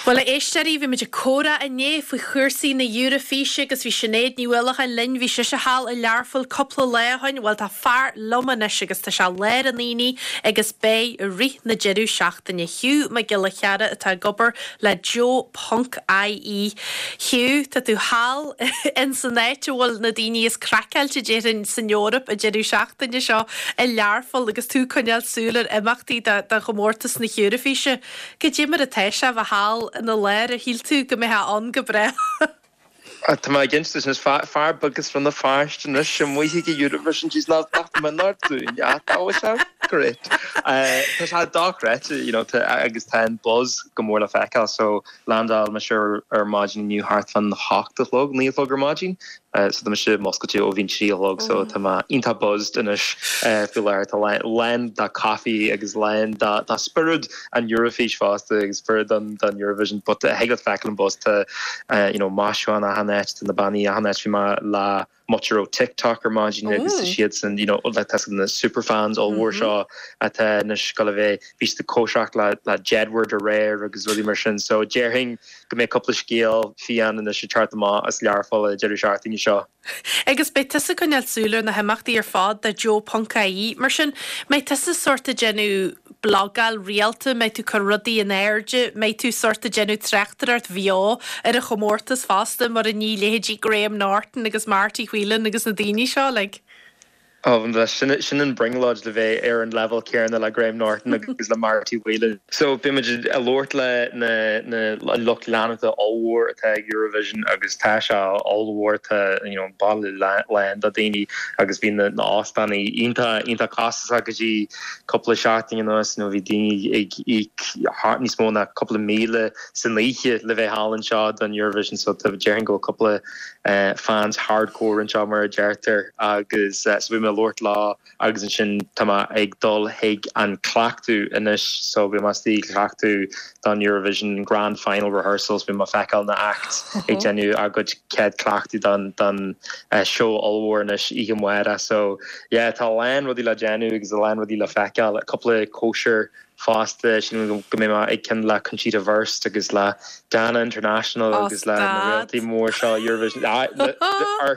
Bhuel, a éisteoirí, bhí muid ag comhrá inné faoi chúrsaí na Eurofíse agus bhí Sinéad Ní Uallacháin linn, bhí sise thall i Learpholl cúpla lá ó shoin. Bhuel, tá fear liom anois agus tá sé i lár an aonaigh agus beidh i rith na deireadh seachtaine. Hugh Mac Giolla Chearra atá ag obair le Joe Ponc IE. Hugh, tá tú thall ins an áit a bhfuil na daoine is craiceáilte déarfainn san Eoraip an deireadh seachtaine seo i Learpholl agus tú ag coinneáil súil ar imeachtaí do chomórtas na hEoraifíse. Cad é mar atá sé a bheith thall ina lár, ar shíl tú go mbeifeá ann go brách? Tá mé ag insint duit anois, fear beag as Rann na Feirste anois amuigh ag Eurovision, jeez, nach mionnáir dúinn, ah, tá sé great. Tá sé dochreidte, you know, agus tá an buzz go mór le feiceáil, so landáil mise ar maidin inniu thart fán hocht a chlog, 9 a chlog ar maidin, so tá mise muscailte ó bhí an 3 a chlog so tá mé iontach buzzed anois faoi láthair. Tá lán de coffee agus lán de spiorad an Eurofís fosta agus spiorad don Eurovision but thig leat feiceáil an buzz tá you know maisiúcháin achan áit, tá na bannaí achan áit, bhí mé le muintir ó TikTok ar maidin agus tá siadsan you know like tá na super fans ollmhór seo atá anois ag gabháil a bheith bhí siad ag cóisireacht le le Jedward aréir agus rudaí mar sin so déarfainn go mbeidh cúpla scéal fiáin anois ag teacht amach as Learpholl an deireadh seachtaine seo. Agus beidh tusa ag coinneáil súil ar na himeachtaí ar fad do Joe Ponc IE. Mar sin, mbeidh tusa sórt ag déanamh blagáil rialta, mbeidh tú ag cur rudaí in airde, mbeidh tú sórt ag déanamh tráchtaireacht bheo ar an chomórtas fosta mar a ní leithéidí Graham Norton agus Marty Whelan agus na daoine seo like. Ó, sin sin an brionglóid le bheith ar an leibhéal céanna le Graham Norton agus le Marty Whelan. So beidh muid ag labhairt le na na an lucht leanúnta ollmhór atá ag Eurovision agus tá sé ollmhór tá you know baile lán de daoine agus bhí na na óstánaí iontach iontach costasach go dtí cúpla seachtain anuas you know bhí daoine ag íoc níos mó ná cúpla míle san oíche le bheith thall anseo don Eurovision so tá déarfainn go bhfuil cúpla fans hardcore anseo mar a deirtear agus so beidh mé ag labhairt leo agus ansin tá mé ag dul chuig an cleachtadh anois so beidh mé istigh ag cleachtadh don Eurovision Grand Final rehearsals beidh mé ag feiceáil na acts ag déanamh a gcuid céad cleachtadh don don seó ollmhór anois oíche amárach so yeah tá a lán rudaí le déanamh agus a lán rudaí le feiceáil cúpla cóisir fosta, sílim go mbeidh mé ag ceann le Conchita Wurst agus le Dana International agus le na réaltaí mór seo Eurovision.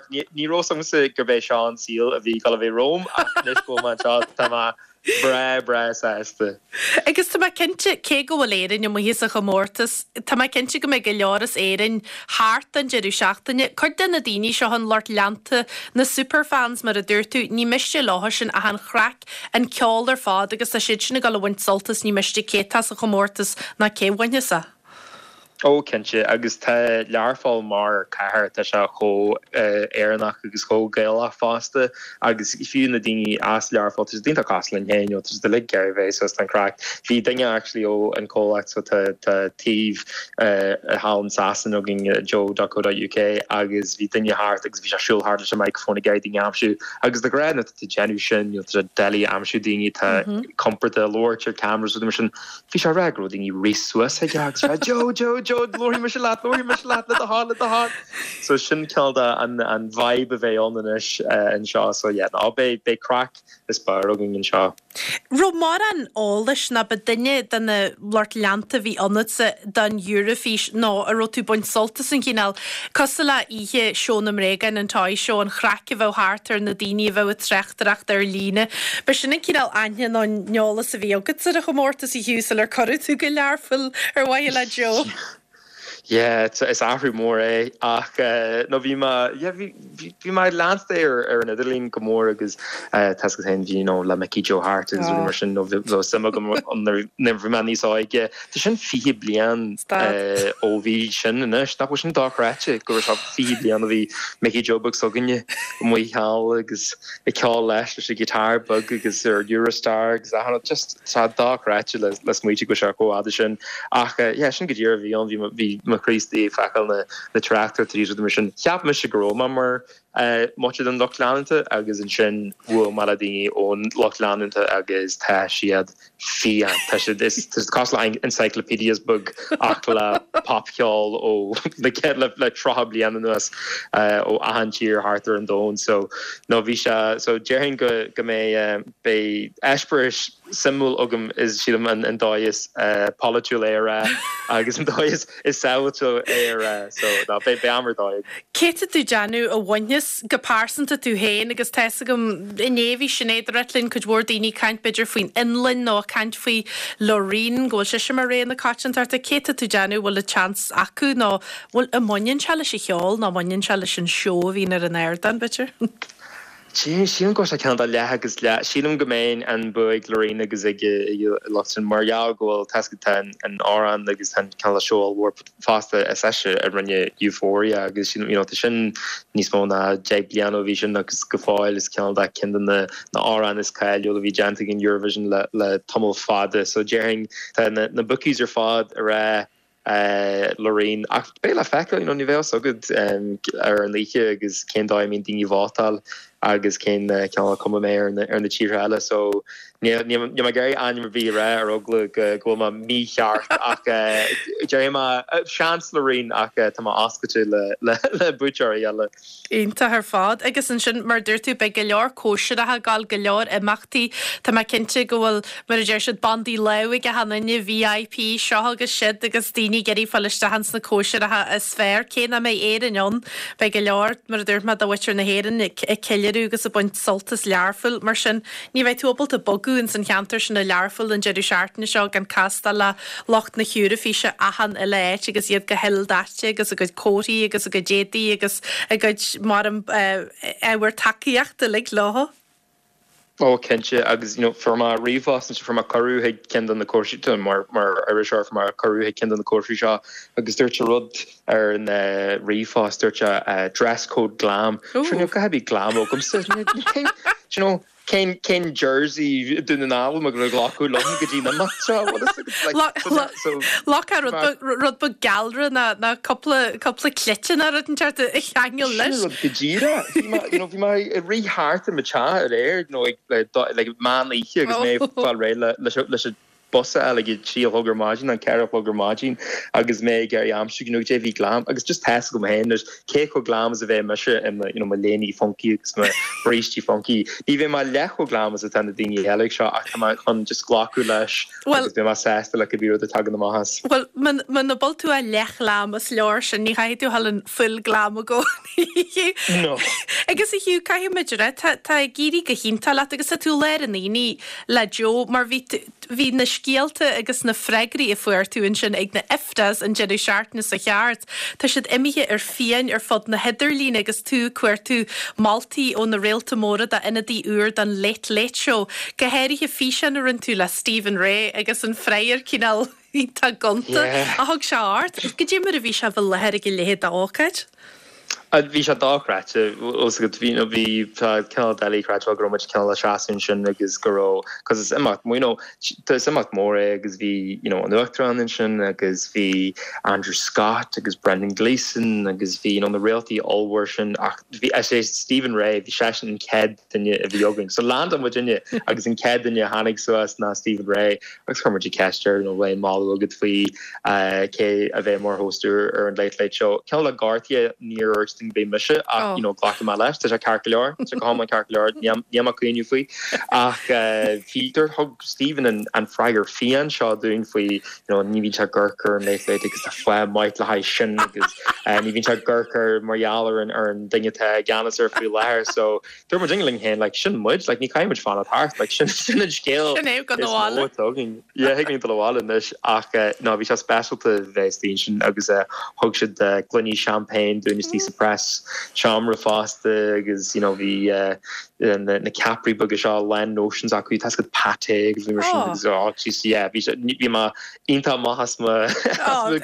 Ní raibh fhios agamsa gurb é seo an saol a bhí ag dul a bheith romham ach anois go bhfuil mé anseo tá mé breá breá sásta. Agus tá mé cinnte, cé go bhfuil Éirinn amuigh as an chomórtas, tá mé cinnte go mbeidh go leor as Éirinn thart don deireadh seachtaine. Cuid de na daoine seo, an lucht leanta, na superfans mar a dúirt tú, ní miste leo sin ach an chraic an ceol ar fad agus tá siad sin ag dul a bhaint sult as, ní miste cé atá sa chomórtas ná cé bhainfeas é. Ó, cinnte, agus tá Learpholl mar cathair, tá sé chomh Éireannach agus chomh Gaelach fosta agus fiú na daoine as Learpholl, tá siad iontach cosúil linn féin, you know, tá siad uilig ag iarraidh bheith suas don chraic. Bhí duine actually ó an comhlacht so tá tá taobh thall in Sasana againn, joe.co.uk agus bhí duine thart agus bhí sé ag siúl thart leis an microphone ag iarraidh daoine a aimsiú Agus de ghnáth nuair atá tú ag déanamh sin, you know, tá sé doiligh aimsiú daoine atá compordach ag labhairt ar cameras rudaí mar sin. Bhí sé ag rá go raibh daoine ag rith suas chuige agus rá Joe, Joe, Joe, labharfaidh mise leat, labharfaidh mise leat, le do thoil, le do thoil. So sin cineál de an, an vibe a bheidh ann anois anseo. So yeah, no, beidh, beidh craic is barr againn anseo. Raibh mórán eolais nó ba duine de na lucht leanta a bhí ionatsa don Eurofís nó a raibh tú ag baint sult as an chineál, cosúil le oíche Seó na mBréagán, an Toy Show, an chraic a bheadh thart ar na daoine a bheadh ag tráchtaireacht ar líne. Ba sin an cineál aithne nó an eolas a bhí agat ar an chomórtas a Hugh sular cuireadh tú go Learpholl ar mhaithe le Joe. Yeah, is athrú mór é ach no bhí mé, yeah, bhí, bhí mé ag leanstan é ar ar an idirlíon go mór agus tá fhios agat féin bhí you know le Mickey Joe Harte agus rudaí mar sin nó bhí suim agam nuair a bhí mé níos óige. Tá sin 20 bliain ó bhí sin anois, nach bhfuil sin dochreidte go raibh sé 20 bliain ó bhí Mickey Joe beag s'againne amuigh thall agus ag ceol leis leis an guitar beag agus ar Eurostar agus achan rud just tá dochreidte le le smaoitiú go bhfuil sé chomh fhada sin ach yeah sin go díreach a bhí ann bhí bhí mo chroí istigh ag feiceáil na na tráchtaireachtaí agus rudaí mar sin. Cheap mise go raibh mé mar muid den lucht leanúnta agus ansin bhuail mé le daoine ón lucht leanúnta agus tá siad fiáin. Tá siad is tá siad cosúil le encyclopedias beag ach le popcheol ó le le le 30 bliain anuas ó achan tír thart ar an domhan. So no bhí sé so déarfainn go go mbeidh beidh eispéireas. suimiúil agam is sílim an dóigh is polaitiúil é a rá agus an dóigh is sábháilte é a rá so ná beidh am ar dóigh agam. Cé tá tú déanamh a bhainfeas go pearsanta tú féin agus tá fhios agam inné bhí Sinéad ag ráit linn cuid mhór daoine ag caint b'fhéidir faoin Fhionlainn nó ag caint faoi Loreen go bhfuil sise mar rogha na coitiantachta. Cé tá tú déanamh bhfuil an chance acu nó bhfuil an mbaineann sé leis an cheol nó mbaineann sé leis an seó a bhíonn ar an ardán b'fhéidir? Sílim go bhfuil sé cineál de leath agus leath. Sílim go mbeidh an bua ag Loreen agus ag an lucht sin mar gheall go bhfuil, tá a fhios agat, tá an amhrán agus tá an cineál de seó ollmhór fosta is ise a rinne Euphoria agus sílim, you know, tá sin níos mó ná 10 bliain ó bhí sin agus go fóill is cineál de ceann de na amhráin is cáiliúla a bhí déanta ag an Eurovision le le tamall fada. So déarfainn tá na na bookies ar fad ag rá Loreen, ach beidh le feiceáil, you know, ní bheidh a fhios agat ar an oíche agus cén dóigh a mbíonn daoine ag vótáil agus cén cineál cuma a mbeidh ar na, ar na tíortha eile. So níl, níl mé ag iarraidh ainm ar bith a rá ar eagla go, go bhfuil mé mícheart ach déarfaidh mé seans Loreen ach tá mé oscailte le, le, le buaiteoirí eile. Iontach ar fad. Agus ansin, mar a dúirt tú, beidh go leor cóisireacha ag gabháil, go leor imeachtaí. Tá mé cinnte go bhfuil, mar a deir siad, bandaí lámh ag achan duine, VIP, seo agus siúd agus daoine ag iarraidh fáil isteach ins na cóisireacha is fearr. Cé nach mbeidh Éirinn ann, beidh go leor, mar a dúirt mé, de mhuintir na hÉireann ag ceiliúradh agus ag baint sult as Learpholl. Mar sin, ní bheidh tú ábalta bogadh ins an cheantar sin i Learpholl an deireadh seachtaine seo gan castáil le lucht na hEoraifíse achan uile áit agus iad go hildaite agus a gcuid comharthaí agus a gcuid éadaí agus a gcuid mar ábhar tacaíochta uilig leo. Ó cinnte agus you know fuair mé ríomhphost ansin fuair mé cuireadh chuig ceann de na cóisirí mar mar iriseoir fuair mé cuireadh chuig ceann de na cóisirí seo agus dúirt sé rud ar an ríomhphost dúirt sé dress code glam. Sure níl a dhath ar bith glam agamsa. You know Cén cén jersey Dún na nGall a bhfuil mé ag glacadh liom go dtí an imeacht seo? Bhfuil fhios agat like so so Glacfá rud beag rud beag gealra ná ná cúpla cúpla cleite ná rud inteacht a cheangal Sin leis. rud go díreach. Bhí mé you know bhí mé ag rith thart i mo teach aréir you know ag le like meán oíche agus mé ag fáil réidh le leis leis an bus a fháil ag a 3 a chlog ar maidin nó 4 a chlog ar maidin agus mé ag iarraidh aimsiú you know goidé a bhí glam agus just tá fhios agam féin anois cé chomh glam is a bheidh mise i mo you know mo léiní funky agus mo brístí funky ní bheidh mé leath chomh glam is atá na daoine eile ag seo ach tá mé chun just glacadh leis agus beidh mé sásta le cibé rud a tagann amach as. Bhuel muna bhfuil tú ach leath-ghlam is leor sin ní chaithfidh tú dhul an full glam i gcónaí. No. Agus a Hugh caithfidh muid a rá tá tá ag éirí go hiontach leat agus tá tú i lár an aonaigh le Joe mar bhí bhí na scéalta agus na freagraí a fuair tú ansin ag na IFTAs an deireadh seachtaine seo thart, tá siad imithe ar fiáin ar fud na hidirlíne agus tú ag cuartú moltaí ó na réalta móra d'ionadaí úr don Late Late Show, go háirithe físeán a rinne tú le Stephen Rea agus an freagra cineál iontach gonta a thug sé ort. Goidé mar a bhí sé a bheith i láthair ag a leithéid d'ócáid? Bhí sé dochreidte, fhios agat, bhí, bhí, tá cineál doiligh a chreidbheáil go raibh muid cineál ag seasamh ansin agus go raibh, cos is imeacht, you know, is imeacht mór é agus bhí, you know, an Uachtarán ansin agus bhí Andrew Scott agus Brendan Gleeson agus bhí, you know, na réaltaí ollmhór sin ach bhí, is é Stephen Rea, bhí seisean an chéad duine a bhí againn. So landáil muidinne agus an chéad duine a tháinig suas ná Stephen Rea agus chuir muid an cheist air, you know, bhfuil aon moladh agat faoi cé a bheidh mar host úr ar an Late Late Show. Cineál le gortaithe níor dhúirt dúinn go mbeidh mise ach you know glacfaidh mé leis, tá sé ceart go leor, tá sé go hiomlán ceart go leor, níl mé ag caoineadh faoi. Ach bhí, dúirt, thug Stephen an an freagra fiáin seo dúinn faoi you know ní bhíonn sé ag amharc ar an Late Late agus tá fáth maith le haghaidh sin agus ní bhíonn sé ag amharc air mar gheall ar an ar an duine atá i gceannas air faoi láthair so Dúirt muid linn féin, like, sin muid, like, ní chaithfidh muid fanacht thart, like, sin, sin an scéal Sin é, gabh is mó abhaile. atá againn. Yeah, thig linn dul abhaile anois ach eh, no, bhí sé speisialta bheith istigh ansin agus eh, thug siad eh, gloiní champagne dúinn istigh sa press seomra fosta agus, you know, bhí eh, na, na ceapairí beaga seo lán notions acu, tá a fhios agat pâté agus bhí mar sin Oh. agus oh, jeez, yeah, bhí sé, bhí mé iontach maith as mo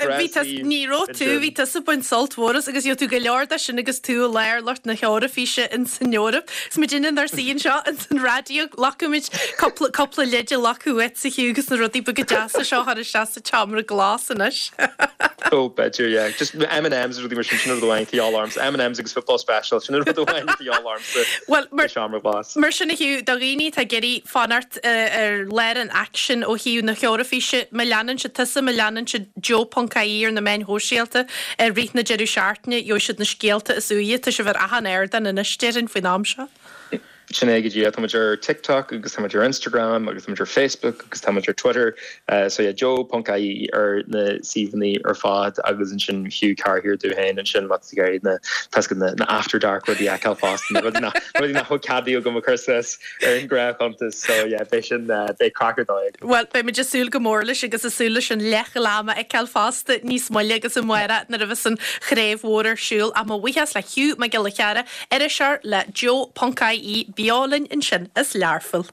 ghreasaí. Ní raibh tú, bhí tusa ag baint sult mhór as agus gheobhaidh tú go leor de sin agus tú i lár lucht na hEoraifíse ins an Eoraip. Is muidinne inár suí anseo ins an raidió, glacfaimid cúpla, cúpla leid a ghlacadh uait a Hugh agus na rudaí beaga deasa seo a chur isteach sa tseomra glas anois. Oh, b'fhéidir, yeah. Just M&M's rudaí mar sin, sin an rud amháin atá de dhíobháil ormsa. M&M's agus Football Special, sin an rud amháin atá de dhíobháil ormsa sa seomra glas. Mar sin a Hugh, do dhaoine atá ag iarraidh fanacht ar lár an aicsin ó thaobh na hEoraifíse. Má leanann siad tusa, má leanann siad Joe ponc ie ar na meáin shóisialta i rith na deireadh seachtaine, gheobhaidh siad na scéalta is úire. Tá sibh ar achan ardán anois, déarfainn, faoin am seo. Sin é go díreach. Tá muid ar TikTok agus tá muid ar Instagram agus tá muid ar Facebook agus tá muid ar Twitter. So yeah, Joe ponc ie ar na suíomhanna ar fad agus ansin Hugh Carr domh féin ansin má tá tú ag iarraidh na tá a fhios agat na after dark rudaí a fheiceáil fosta na rudaí nach rudaí nach bhfuil ceadaithe agam a chur suas ar an ngnáthchuntas. So yeah, beidh sin beidh craic ar dóigh agam. Bhuel, beidh muid ag súil go mór leis agus ag súil leis an leathghlam a fheiceáil fosta níos moille agus amárach nuair a bheas an chraobh mhór ar siúl. Ach mo bhuíochas le Hugh Mac Giolla Chearra, iriseoir le Joe ponc ie, beo linn ansin as Learpholl.